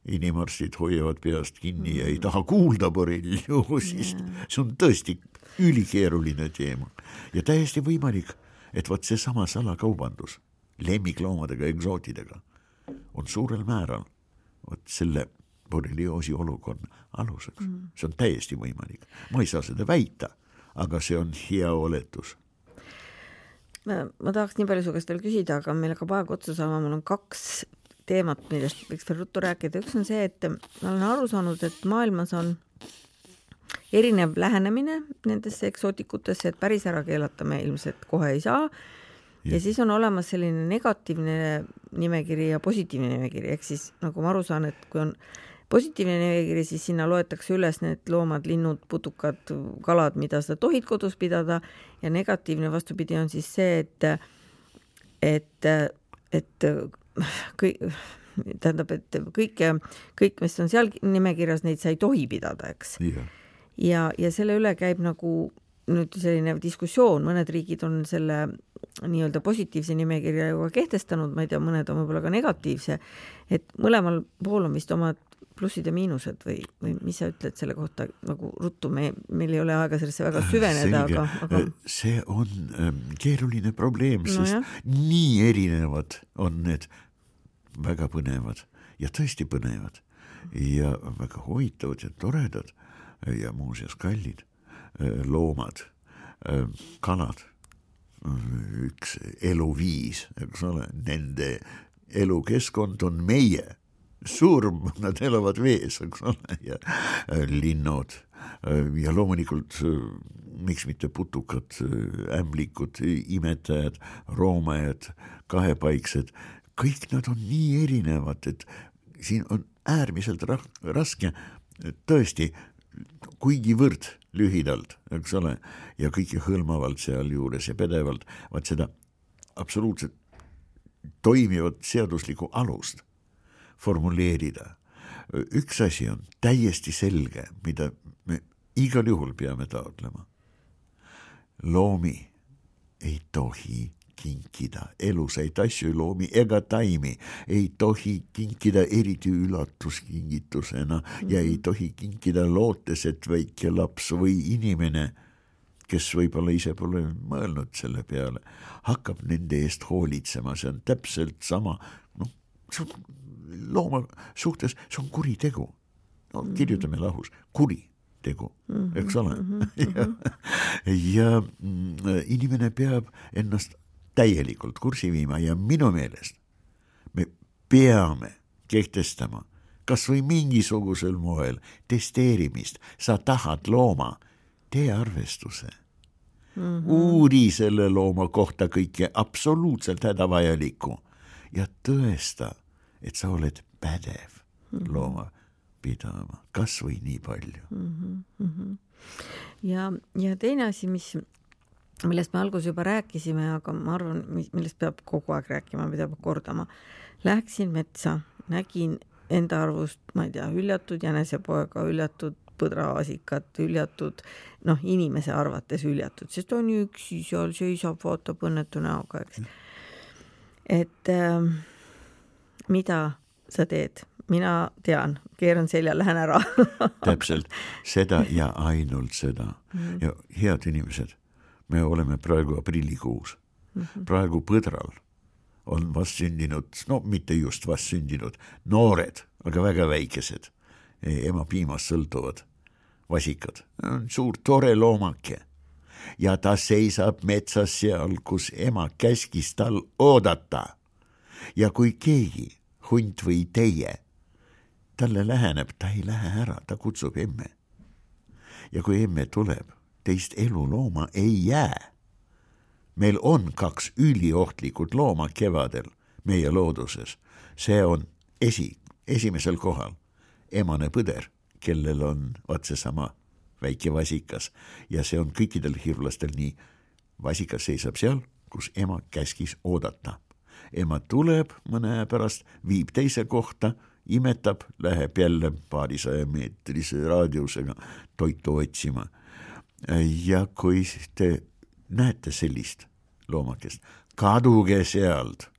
inimarstid hoiavad peast kinni ja ei taha kuulda borrelioosist. Yeah. See on tõesti ülikeeruline teema ja täiesti võimalik, et võt see sama salakaubandus lemmikloomadega, egsootidega on suurel määral võt selle borrelioosi olukonna aluseks. Mm. See on täiesti võimalik. Ma ei saa seda väita, aga see on hea oletus. Ma, ma tahaks nii palju su käest veel küsida, aga meil hakkab aeg otsa saama, mul on kaks teemat, millest võiks veel ruttu rääkida. Üks on see, et ma olen aru saanud, et maailmas on erinev lähenemine nendesse eksootikutesse, et päris ära keelata me ilmselt kohe ei saa. Ja, ja siis on olemas selline negatiivne nimekiri ja positiivne nimekiri. Ehk siis, nagu ma aru saan, et kui on positiivne nimekiri, siis sinna loetakse üles need loomad, linnud, putukad, kalad, mida sa tohid kodus pidada. Ja negatiivne vastupidi on siis see, et, et, et kõik, tähendab, et kõik, kõik, mis on seal nimekirjas, neid sa ei tohi pidada, eks. Yeah. Ja, ja selle üle käib nagu nüüd selline diskussioon, mõned riigid on selle nii-öelda positiivse nimekirja juba kehtestanud, ma ei tea, mõned on võib-olla ka negatiivse, et mõlemal pool on vist omad plussid ja miinused või, või mis sa ütled selle kohta, nagu ruttu, me, meil ei ole aega sellesse väga süveneda, aga, aga... See on ähm, keeruline probleem, sest no nii erinevad on need väga põnevad ja tõesti põnevad ja väga huvitavad ja toredad ja muuseas kallid loomad, kalad, üks eluviis, eks ole, nende elukeskkond on meie surm, nad elavad vees, eks ole, ja linnud ja loomulikult miks mitte putukad, ämblikud, imetajad, roomajad, kahepaiksed, kõik nad on nii erinevad, et siin on äärmiselt raske tõesti kuigivõrd lühidalt, eks ole, ja kõike hõlmavalt seal juures ja pedevalt, vaat seda absoluutselt toimivat seaduslikku alust formuleerida. Üks asi on täiesti selge, mida me igal juhul peame taotlema. Loomi ei tohi kinkida, elusaid asju, loomi ega taimi ei tohi kinkida eriti üllatuskingitusena mm-hmm. ja ei tohi kinkida lootes, et väike laps või inimene, kes võib-olla ise pole mõelnud selle peale, hakkab nende eest hoolitsema, see on täpselt sama, noh, see on looma suhtes, see on kuritegu. No, kirjutame lahus, kuritegu, eks ole. ja, ja inimene peab ennast täielikult kursi viima ja minu meelest me peame kehtestama kas või mingisugusel moel testeerimist. Sa tahad looma, tee arvestuse. Mm-hmm. Uuri selle looma kohta kõike absoluutselt hädavajalikku ja tõesta, et sa oled pädev mm-hmm. looma pidama, kas või nii palju. Mm-hmm. Ja, ja teine asi, mis millest me alguses juba rääkisime, aga ma arvan, millest peab kogu aeg rääkima, mida peab kordama. Läksin metsa, nägin enda arvust, ma ei tea, hüljatud jänesepoega, hüljatud põdraasikat, hüljatud, noh, inimese arvates hüljatud, sest on üksi seal seisab, vaatab õnnetu näoga, eks. et äh, mida sa teed? Mina tean, keeran selja, lähen ära. Täpselt, seda ja ainult seda. Mm-hmm. Ja head inimesed, me oleme praegu aprillikuus. Mm-hmm. Praegu põdral on vast sündinud, no mitte just vast sündinud, noored, aga väga väikesed, ema piimast sõltuvad vasikad. Suur tore loomake. Ja ta seisab metsas seal, kus ema käskis tal oodata. Ja kui keegi, hunt või teie, talle läheneb, ta ei lähe ära, ta kutsub emme. Ja kui emme tuleb, teist elulooma ei jää. Meil on kaks üliohtlikud looma kevadel meie looduses. See on esi, esimesel kohal emane põder, kellel on otse sama väike vasikas. Ja see on kõikidel hirvlastel nii. Vasikas seisab seal, kus ema käskis oodata. Ema tuleb mõne aja pärast, viib teise kohta, imetab, läheb jälle paarisaja meetrise raadiusega toitu otsima. Ja kui te näete sellist loomakest, kaduge sealt.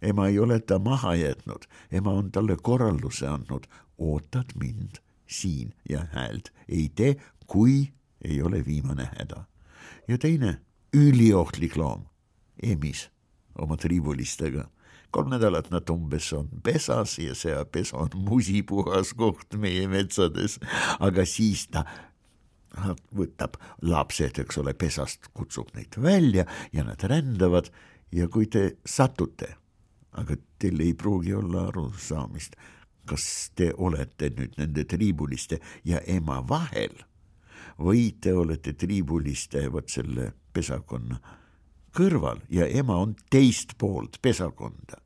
Ema ei ole ta maha jätnud, ema on talle korralduse andnud, ootad mind siin ja häält ei tee, kui ei ole viimane häda. Ja teine üliohtlik loom, emis oma tribulistega. Kolm nädalat nad umbes on pesas ja see pesa on musipuhas koht meie metsades, aga siis ta võtab lapsed, eks ole, pesast, kutsub neid välja ja nad rändavad ja kui te satute, aga teil ei pruugi olla arusaamist, kas te olete nüüd nende tribuliste ja ema vahel või te olete tribuliste võt selle pesakonna kõrval ja ema on teist poolt pesakonda.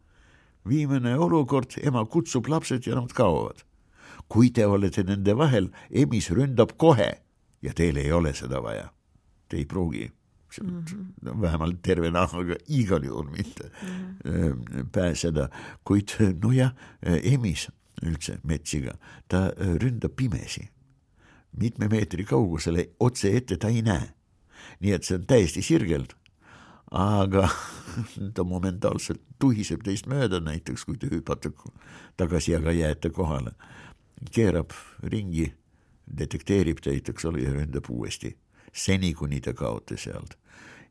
Viimane olukord, ema kutsub lapsed ja nad kaovad. Kui te olete nende vahel, emis ründab kohe ja teil ei ole seda vaja. Te ei pruugi, mm-hmm. vähemalt terve nahaga igal juhul mitte mm-hmm. pääseda. Kuid no ja emis üldse metsiga, ta ründab pimesi. Mitme meetri kaugusele otse ette ta ei näe. Nii et see on täiesti sirgeld. Aga ta momentaalselt tuhiseb teist mööda, näiteks kui te hüpate tagasi, aga jääte kohale. Keerab ringi, detekteerib teid, eks ole, ja ründab uuesti. Seni, kuni ta kaote sealt.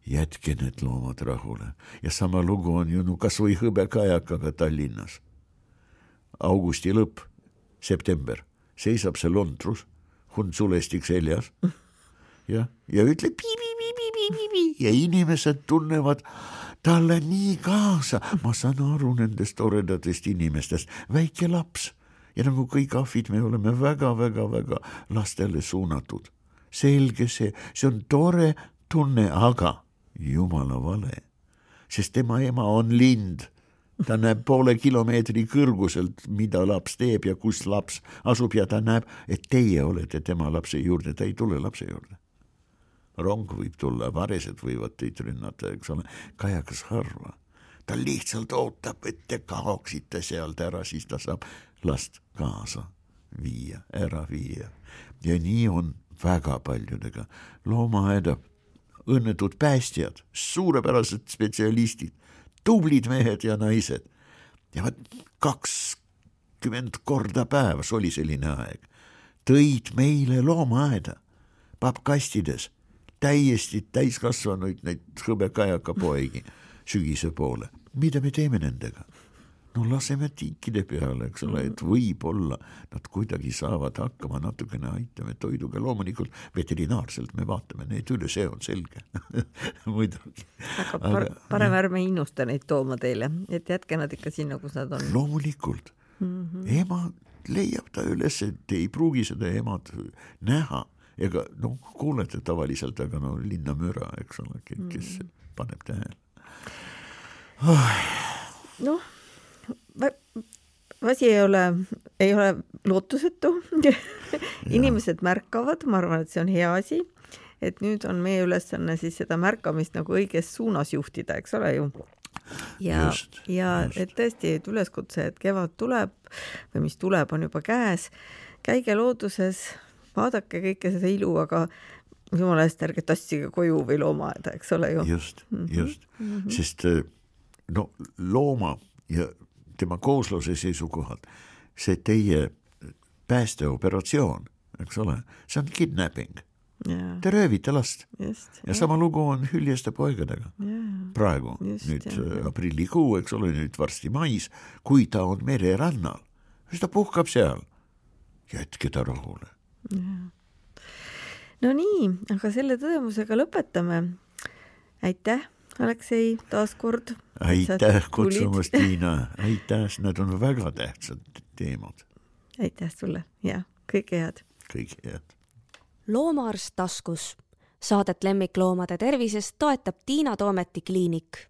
Jätke need loomad rahule. Ja sama lugu on ju no kas või hõbekajakaga Tallinnas. Augusti lõpp, september, seisab see lontrus, hund sulestik seljas ja, ja ütleb pi-pi-pi-pi-pi-pi ja inimesed tunnevad talle nii kaasa. Ma saan aru nendest toredatest inimestest, väike laps ja nagu kõik ahvid me oleme väga-väga-väga lastele suunatud. Selge see, see on tore tunne, aga jumala vale, sest tema ema on lind. Ta näeb poole kilomeetri kõrguselt, mida laps teeb ja kus laps asub ja ta näeb, et teie olete tema lapse juurde, ta ei tule lapse juurde. Rong võib tulla, varesed võivad teid rünnata, eks ole, kajakas harva. Ta lihtsalt ootab, et te kaoksite sealt ära, siis ta saab last kaasa viia, ära viia. Ja nii on väga paljudega. Loomaaeda, õnnetud päästjad, suurepärased spetsialistid, tublid mehed ja naised. Ja võt kakskümmend korda päevas oli selline aeg. Tõid meile loomaaeda, pappkastides, täiesti täiskasvanuid neid hõbekajaka poegi sügise poole. Mida me teeme nendega? No laseme tiikide peale, eks ole, et võib-olla nad kuidagi saavad hakkama, natukene aitame toiduga. Loomulikult veterinaarselt me vaatame neid üle, see on selge. Muidugi. Aga par parem ärme innusta neid tooma teile, et jätke nad ikka sinna, kus nad on. Loomulikult. Mm-hmm. Ema leiab ta üles, et ei pruugi seda emad näha. Ega no kuulete tavaliselt, aga no linna müra, eks ole, kes mm-hmm. paneb tähele. Oh. Noh, asi ei ole, ei ole lootusetu. Inimesed märkavad, ma arvan, et see on hea asi, et nüüd on meie ülesanne siis seda märkamist nagu õiges suunas juhtida, eks ole ju. Ja, just, ja just. Et tõesti, et üleskutse, et kevad tuleb või mis tuleb, on juba käes. Käige looduses, vaadake kõike seda ilu, aga jumala eest ärge tassige koju või loomaaeda, eks ole ju. Just, just. Mm-hmm. Sest no looma ja tema koosluse seisukohalt see teie päästeoperatsioon, eks ole, see on kidnapping. Yeah. Te röövite last. Just, ja sama yeah. lugu on hüljeste poigadega. Yeah. Praegu, Just, nüüd yeah. aprillikuu, eks ole, nüüd varsti mais, kui ta on mererannal, siis ta puhkab seal. Jätke ta rahule. Yeah. No nii, aga selle tõdemusega lõpetame. Aitäh, Aleksei, taas kord. Aitäh kutsumast, Tiina. Aitäh, need on väga tähtsad teemad. Aitäh sulle ja kõike head. Kõike head. Loomaarst taskus. Saadet lemmikloomade tervisest toetab Tiina Toometi kliinik.